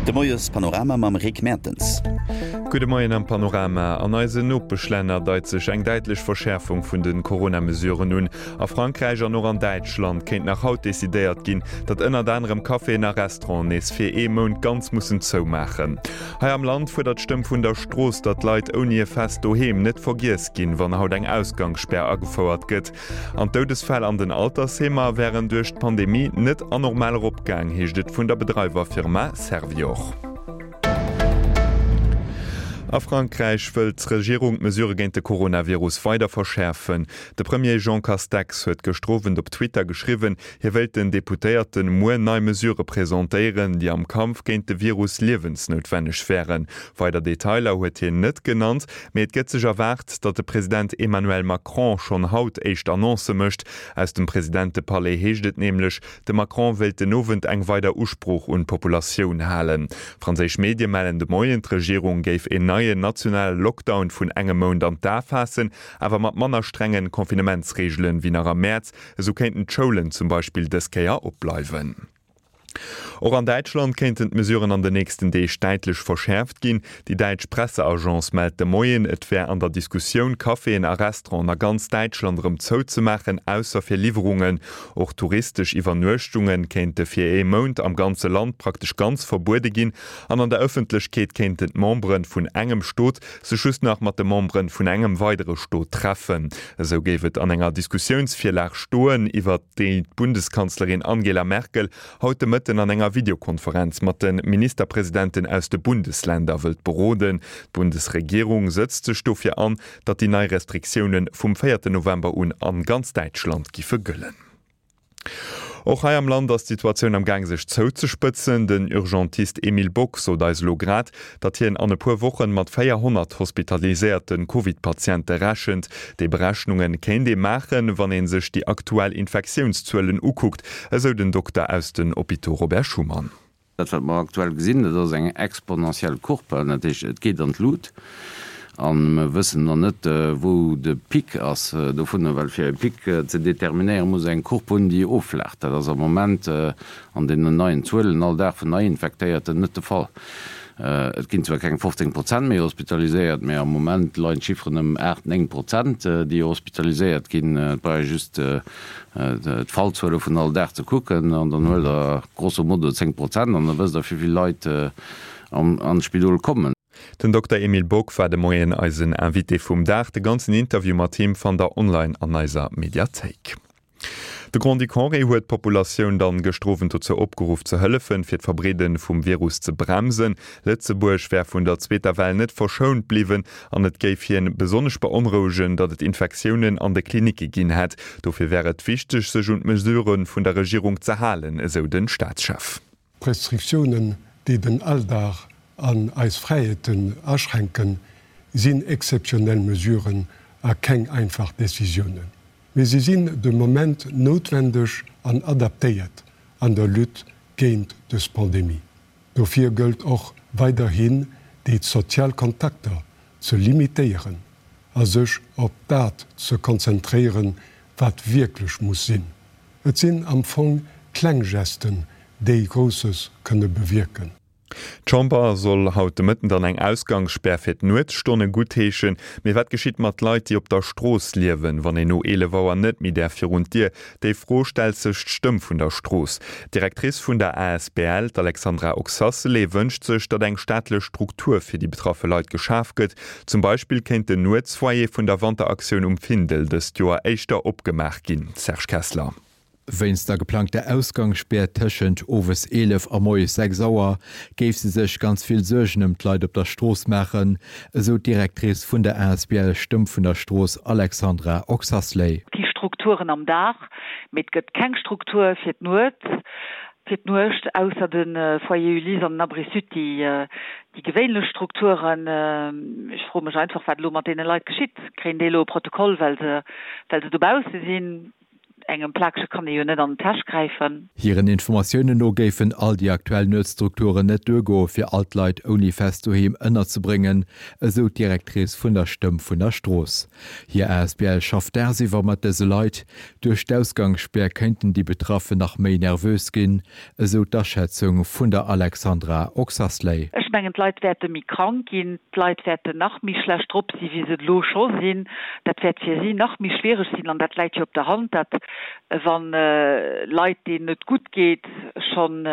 De Moies Panorama mam Rick Mertens. Gudde Moien am Panorama. An eisen Nopeschlänner deit sech eng däitlech Verschäerfung vun de Corona-Mesuren un. A Frankräich an och an Däitschland kéint nach haut decidéiert ginn, datt ënnert anerem Caféen a Restauranten nees fir ee Mount ganz mussen zoumaachen. Hei am Land fuerdert d'Stëmm vun der Strooss, datt Leit ouni e fest Doheem net vergiess ginn, wann haut eng Ausgangsspär agefouert gëtt. An d'Doudesfäll an den Altersheemer wären duerch d'Pandemie net anormal eropgaang, heescht et vun der Bedreiwerfirma Servior. A Frankräich wëllt d'Regierung d'Mesurë géint de Coronavirus weider verschäerfen. De Premier Jean Castex huet gëschter Owend op Twitter geschriwwen, hie wéilt den Deputéierte muer nei Mesurë presentéieren, déi am Kampf géint de Virus liewensnoutwenneg wären. Weider Detailer huet hien net genannt, mee et gëtt sech erwaart, datt de President Emmanuel Macron schonn haut éischt Annoncë mécht. Aus dem Presidentepalais heescht et nämlech, de Macron wéilt den Owend eng weider Usprooch un d'Populatioun halen. Franséisch Medie mellen de Moien, d'Regierung géif een neien nationale Lockdown vun engem Mount an d'A faassen, awer mat manner strengen Confinementsreegelen wéi nach am Mäerz. Esou kéinten d'Schoulen zum Beispill dës Kéier opbleiwen. Och an Däitschland kéinten d'Mesuren an den nächsten Deeg däitlech verschäerft ginn. Déi däitsch Presseagence mellt de Moien, et wär an der Diskussioun, Caféen a Restauranten a ganz Däitschland erëm zouzemaachen, ausser fir Liwwerungen. Och touristesch Iwwernuechtunge kéinte fir ee Mount am ganze Land praktesch ganz verbuede ginn. An an der Ëffentlechkeet kéinten d'Membere vun engem Stot sech just nach mat de Membere vun engem weidere Stot treffen. Esou géif et an enger Diskussiounsvirlag stoen, iwwer déi d'Bundeskanzlerin Angela Merkel haut de Mëtten an enger Videokonferenz mat de Ministerpresidenten aus de Bundesländer wëllt beroden. D'Bundesregierung sëtzt sech dofir an, datt déi nei Restriktioune vum véierte November un an ganz Däitschland giffe gëllen. Och hei am Land ass d'Situatioun am Gaang sech zouzespëtzen. Den Urgentist Emile Bock sot eis elo grad, datt hien an e puer Wochen mat 400 hospitaliséierte Covid-Patiente rechent. Déi Berechnunge kéint ee maachen, wann ee sech déi aktuell Infektiounszuelen ukuckt, esou den Dokter aus den Hôpitaux Robert Schuman. Dat, wat mer aktuell gesinn, dat ass eng exponentiell Courbe, dat heescht, et geet an d'Lut. A mer wëssen nach net, wou de Pic ass dovunner, well fir e Pic ze determinéieren, muss eng Courbe hunn, déi offlaacht. Dat ass am Moment an deenen neien Zuelen all Dag vun Neiinfektéierten net de Fall. Et ginn zwar keng 15 Prozent méi hospitaliséiert, mä am Moment leien d'Chifferen ëm 8, 9 Prozent, déi hospitaliséiert ginn. Et brauch ee just d'Fallzuele vun all Dag ze kucken an dann huelt Der grosso modo 10 Prozent an da wësst Der, wéi vill Leit an d'Spidol kommen. Den Dokter Emile Bock war de Moien eisen Invité vum Dag. De ganzen Interview mat him fannt der online an eiser Mediathéik. De Grand-Duc Henri huet d'Populatioun dann gëschter Owend dozou opgeruff ze hëllefen, fir d'Verbreede vum Virus ze bremsen. Lëtzebuerg wär vun der zweeter Well net verschount bliwwen an et géif hien besonnesch beonrouegen, datt et Infektiounen an de Klinicke ginn hätt. Dofir wär et wichteg, sech un d'Mesurë vun der Regierung ze halen, esou den Staatschef. D'Restriktiounen, déi den Alldag an eis Fräiheeten aschränken, sinn exzeptionell Mesuren a keng einfach Decisiounen. Mee si sinn de Moment noutwendeg an adaptéiert an der Lutte géint dës Pandemie. Dofir gëllt och weiderhin, déi sozial Kontakter ze limitéieren a sech op dat ze konzentréieren, wat wierklech muss sinn. Et sinn am Fong kleng Gesten, déi Grousses kënne bewierken. D'Chamber soll haut de Mëtten dann eng Ausgangsspär fir d'Nuetsstonne guttheeschen. Mee wat geschitt mat Leit, déi op der Strooss liewen, wann een no 11 Auer net méi däerf virun d'Dier? Déi Fro stellt sech d'Stëmm vun der Strooss. D'Directrice vun der asbl, d'Alexandra Oxacelay, wënscht sech, datt eng staatlech Struktur fir déi betraffe Leit geschaf gëtt. Zum Beispill kéint den Nuetsfoyer vun der Wanteraktioun um Findel dëst Joer éischter opgemaach ginn. Serge Kessler. Wéinst der geplangter Ausgangsspär tëschent owes 11 a moies 6 Auer géif se sech ganz vill Suergen ëm d'Leit op der Strooss maachen, esou d'Directrice vun der asbl Stëmm vun der Strooss Alexandra Oxasley. Et gi Strukturen am Dag, mee et gëtt keng Struktur fir d'Nuet, fir d'Nuecht, ausser de Foyer Ulysse an den Abri Sud, déi déi gewéinlech Strukturen. Ech froe mech einfach, wat elo mat deene Leit geschitt. Kréien déi elo e Protokoll, well se, well se dobausse sinn? Engem Plakege kann ee jo net an d'Täsch gräifen. Hiren Informatiounen no géifen all déi aktuell Nuetstrukturen net duergoe fir all d'Leit ouni fest Doheem ënnerzebréngen, esou d'Directrice vun der Stëmm vun der Strooss. Hir asbl schafft dagsiwwer mat dëse Leit. Duerch d'Ausgangsspär kéinten déi Betraffen nach méi nervös ginn, esou d'Aschätzung vun der Alexandra Oxasley. Ech mengen, d'Leit wäerte méi krank ginn, d'Leit wäerten nach méi schlecht drop si wéi se et elo scho sinn. Dat wäert fir si nach méi schwiereg sinn an dat läit jo op der Hand, dat wa Leit, deenen et gutt geet, schonn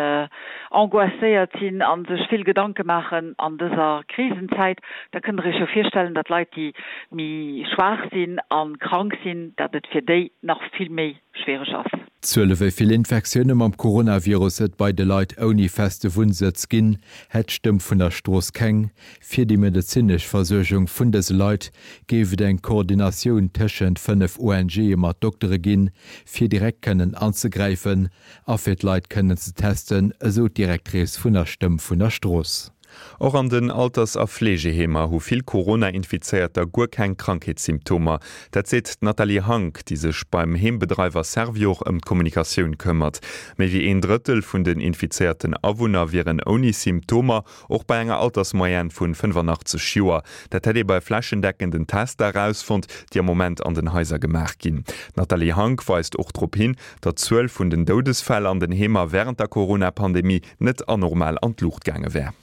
angoisséiert sinn a sech vill Gedanke maachen an dëser Krisenzäit, da kënnt Der Iech jo virstellen, datt Leit, déi méi schwaach sinn a krank sinn, datt et fir déi nach vill méi schwiereg ass. D'Zuele wéi vill Infektioune mam Coronavirus et bei de Leit ouni feste Wunnsëtz ginn, hätt d'Stëmm vun der Strooss keng. Fir déi medezinesch Versuergung vun dëse Leit géif et eng Koordinatioun tëschent 5 ONGe mat Doktere ginn, fir direkt kënnen anzegräifen a fir d'Leit kënnen ze testen, esou d'Directrice vun der Stëmm vun der Strooss. Och an den Alters a Fleegeheemer hu vill Corona-Infizéierter guer keng Krankheetssymptomer. Dat seet d'Nathalie Hank, déi sech beim Heembedreiwer Servior ëm d'Kommunikatioun këmmert. Méi wéi een Drëttel vun den infizéierten Awunner wieren ouni Symptomer, och bei enger Altersmoyenne vun 85 Joer. Dat hätt ee bei flächendeckenden Tester erausfonnt, déi am Moment an den Haiser gemaach ginn. D'Nathalie Hank weist och drop hin, datt d'Zuel vun den Doudesfäll an den Heemer wärend der Corona-Pandemie net anormal an d'Luucht gaange wär.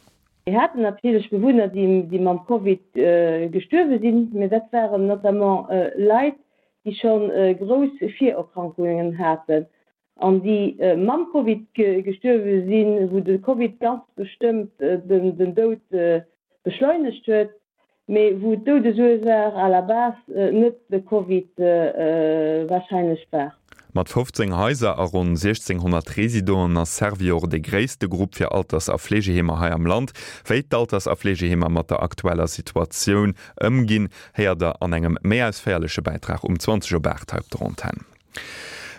Mir haten natierlech Bewunner, déi mam Covid gestuerwe sinn, mä dat waren notamment Leit, déi scho grouss Virerkrankungen haten an déi mam Covid gestuerwe sinn, wou de Covid ganz bestëmmt den Doud beschleunegt huet. Mee wou d'Doudesursaach à la base net de Covid warscheinlech war. Mat 15 Haiser a ronn 1.600 Residenten ass Servior dee gréisste Grupp fir Alters a Fleegeheemer hei am Land. Wéi d'Alters a Fleegeheemer mat der aktueller Situatioun ëmginn, héiert der an engem méi ausféierleche Bäitrag um 20 op 8 hei op der Antenn.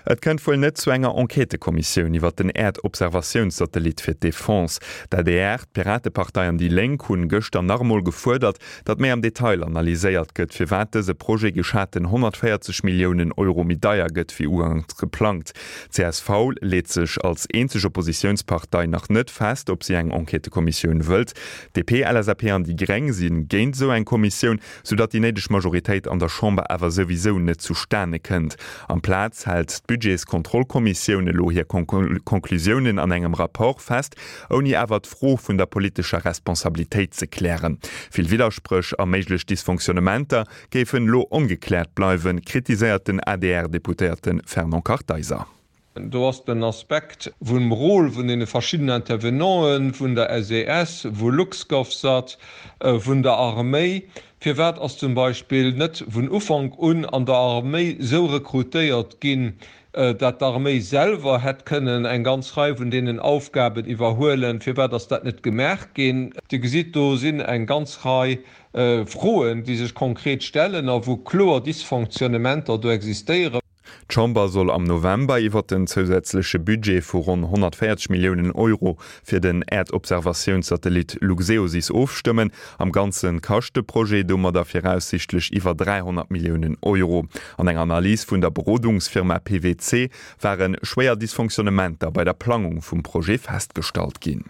Et kënnt wuel net zu enger Enquêtëkommissioun iwwer den Äerdobservatiounssatellit fir d'Defense. D'adr, d'Piratepartei an déi Lénk hunn gëschter nach emol gefuerdert, datt méi am Detail analyséiert gëtt, firwat dëse Projet geschaten 140 Milliounen Euro méi deier gëtt wéi uganks geplangt. Csv leet sech als eenzeg Oppositiounspartei nach net fest, ob si eng Enquêtëkommissioun wëllt. DP, LSAP an déi Gréng si géint esou eng Kommissioun. sou datt déi néideg Majoritéit an der Chamber awer souwisou net zustane kënnt. Amplaz hält d'Budgetskontrollkommissioun elo hir Konklusiounen an engem Rapport fest, ouni awer d'Fro vun der politescher Responsabilitéit ze klären. Vill Widderspréch a méiglech Dysfonctionnementer géifen elo ongekläert bleiwen, kritiséiert den ADR-Deputéierte Fernand Kartheiser. Do ass den Aspekt vum Rôle vun deene verschiddenen Intervenanten, vun der SES, vu LuxGovSat, vun der Arméi. Firwat ass zum Beispill net vun Ufank un an der Arméi esou rekrutéiert ginn, dat d'Arméi selwer hätt kënnen eng ganz Rei vun deenen Aufgaben iwwerhuelen? Firwat ass dat net gemaach ginn? Dir gesitt, do sinn eng ganz Rei Froen, déi sech konkret stellen a wou kloer Dysfonctionnementer do existéieren. D'Chamber soll am November iwwer den zousätzleche Budget vu ronn 140 Milliounen Euro fir den Äerdobservatiounssatellit Luxeosys ofstëmmen. Am Ganze kascht de Projet domadder viraussiichtlech iwwer 300 Milliounen Euro. An enger Analys vun der Berodungsfirma PwC ware schwéier Dysfonctionnementer bei der Plangung vum Projet festgestallt ginn.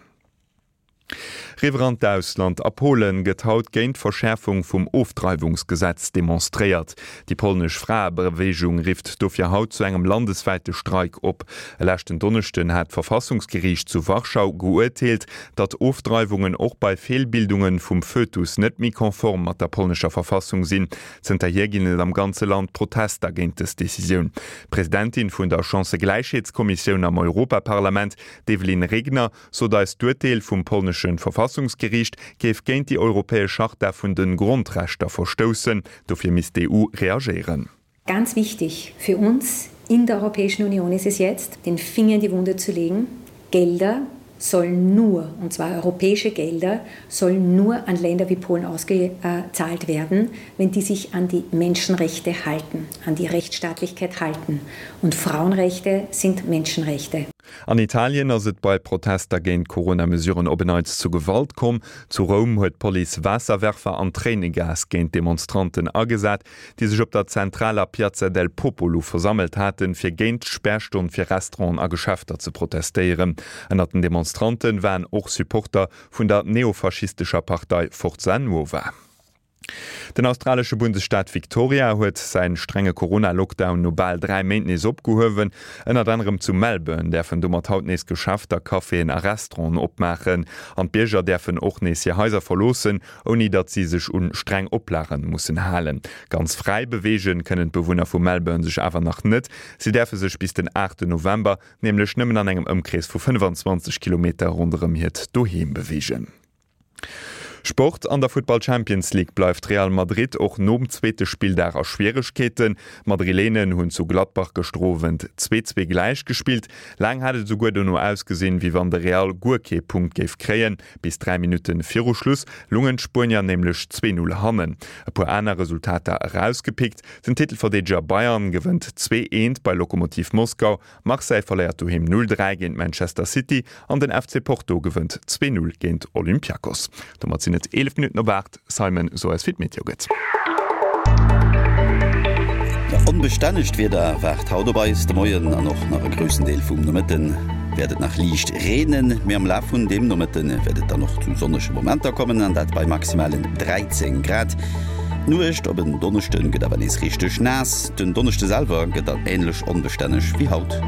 Riwwer an d'Ausland, A Polen gëtt haut géint d'Verschäerfung vum Ofdreiwungsgesetz demonstréiert. Déi polnesch Fraebeweegung rifft dofir haut zu engem landeswäite Streik op. E leschten Donneschden hat d'Verfassungsgeriicht zu Warschau geuerteelt, datt Ofdreiwungen och bei Feelbildunge vum Fötus net méi konform mat der polnescher Verfassung sinn. Zënterhier ginn et am ganze Land Protester géint dës Decisioun. D'Presidentin vun der Chancëgläichheetskommissioun am Europaparlament, d'Evelyn Regner, sot eis, d'Urteel vum polnesche Verfassungsgeriicht géif géint déi europäesch Charta vun de Grondrechter verstoussen. Dofir misst d'EU reagéieren. Ganz wichtig für uns in der Europäischen Union ist es jetzt, den Finger in die Wunde zu legen. Gelder sollen nur, und zwar europäische Gelder, sollen nur an Länder wie Polen ausgezahlt werden, wenn die sich an die Menschenrechte halten, an die Rechtsstaatlichkeit halten. Und Frauenrechte sind Menschenrechte. An Italien ass et bei Protester géint d'Corona-Mesuren op en Neits zu Gewalt komm. Zu Roum huet d'Police Waasserwerfer an Tréinegas géint d'Demonstranten agesat, déi sech op der zentraler Piazza del Popolo versammelt haten, fir géint d'Spärstonn fir Restauranten a Geschäfter ze protestéieren. Ënnert den Demonstrante waren och Supporter vun der neofaschistescher Partei Forza Nuova. Den australesche Bundesstaat Victoria huet säi strenge Corona-Lockdown no bal 3 Méint nees opgehuewen. Ënnert anerem zu Melbourne däerfen domat haut nees Geschäfter, Caféen a Restauranten opmaachen. An d'Bierger däerfen och nees hir Haiser verloossen, ouni datt si sech un streng Oplage mussen halen. Ganz fräi beweege kënnen d'Bewunner vu Melbourne sech awer nach net. Si däerfe sech bis den 8 November nämlech nëmmen an engem Ëmkrees vu 25 Kilometer ronderëm hiert Doheem beweegen. Sport, An der Futtball Champions League bleift Real Madrid och nom zweete Spilldag a Schwieregkeeten. D'Madrilenen hunn zu Gladbach gëschter Owend 2, 2 gläich gespillt. Laang hat et esouguer dono ausgesinn, wéi wann de Real guer kee Punkt géif kréien. Bis 3 Minutte viru Schluss lungen d'Spuenier nämlech 2, 0 hannen. E puer aner Resultater erausgepickt, Den Titelverdeedeger Bayern gewënnt 2, 1 bei Lokomotiv Moskau, Marseille verléiert doheem 0, 3 géint Manchester City an den FC Porto gewënnt 2, 0 géint Olympiakos. Domat sinn et 11 Minutten op 8. Simon, so eis wéi d'Meteo gëtt. Onbestännegt Wieder waart haut op eis. De Moien an och nach e groussen Deel vum Nomëtte wäert et nach liicht reenen, mee am Laf vun dem Nomëtte wäert et dann och zu sonnege Momenter kommen, an dat bei maximalen 13 Grad. D'Nuecht op en Donneschde gëtt awer nees richteg naass. Den Donneschde selwer gëtt dann änlech onbestänneg wéi haut.